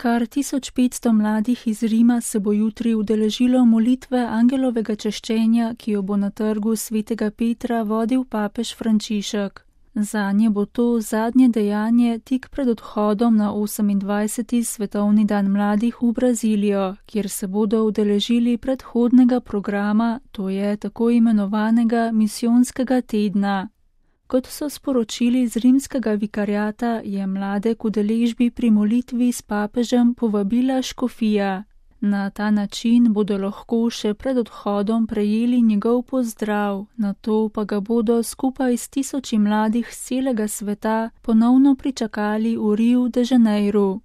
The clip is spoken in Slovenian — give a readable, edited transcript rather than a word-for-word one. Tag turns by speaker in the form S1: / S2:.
S1: Kar 1500 mladih iz Rima se bo jutri udeležilo molitve angelovega češčenja, ki jo bo na trgu svetega Petra vodil papež Frančišek. Zanje bo to zadnje dejanje tik pred odhodom na 28. svetovni dan mladih v Brazilijo, kjer se bodo udeležili predhodnega programa, to je tako imenovanega misijonskega tedna. Kot so sporočili z rimskega vikariata, je mlade k udeležbi pri molitvi s papežem povabila škofija. Na ta način bodo lahko še pred odhodom prejeli njegov pozdrav, nato pa ga bodo skupaj s 1000 mladih z celega sveta ponovno pričakali v Riu de Janeiru.